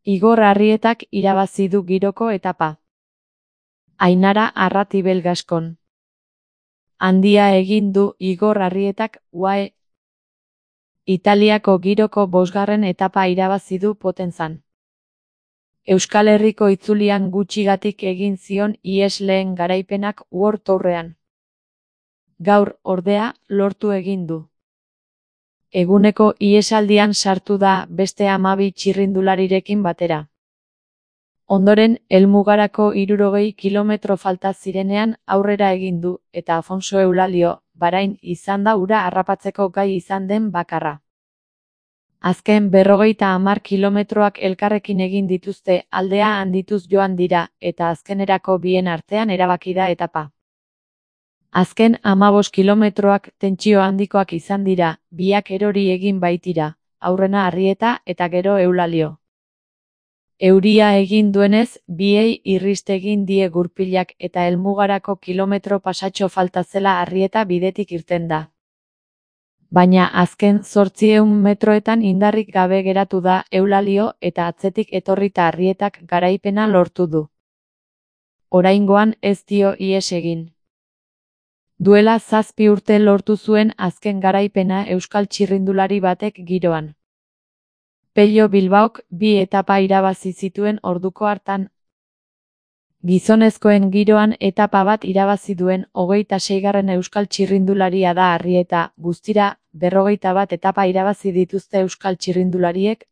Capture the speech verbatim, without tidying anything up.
Igor Arrietak irabazi du giroko etapa. Ainara Arratibel Gaskon. Handia egin du Igor Arrietak U A E Italiako giroko bosgarren etapa irabazi du Potenzan. Euskal Herriko itzulian gutxigatik egin zion ihes lehen garaipenak World Tourrean. Gaur, ordea, lortu egin du. Eguneko ihesaldian sartu da beste hamabi txirrindularirekin batera. Ondoren, helmugarako hirurogei kilometro falta zirenean aurrera egin du, eta Afonso Eulalio, Barain izan da ura harrapatzeko gai izan den bakarra. Azken berrogeita hamar kilometroak elkarrekin egin dituzte, aldea handituz joan dira, eta azkenerako bien artean erabaki da etapa. Azken hamabost kilometroak tentsio handikoak izan dira, biak erori egin baitira, aurrena Arrieta eta gero Eulalio. Euria egin duenez, biei irrist egin die gurpilak eta helmugarako kilometro pasatxo falta zela Arrieta bidetik irten da. Baina azken zortziehun metroetan indarrik gabe geratu da Eulalio eta atzetik etorrita Arrietak garaipena lortu du. Oraingoan ez dio ihes egin. Duela zazpi urte lortu zuen azken garaipena euskal txirrindulari batek giroan. Pello Bilbaok bi etapa irabazi zituen orduko hartan. Gizonezkoen giroan etapa bat irabazi duen hogeita seigarren euskal txirrindularia da Arrieta, guztira, berrogeita bat etapa irabazi dituzte euskal txirrindulariek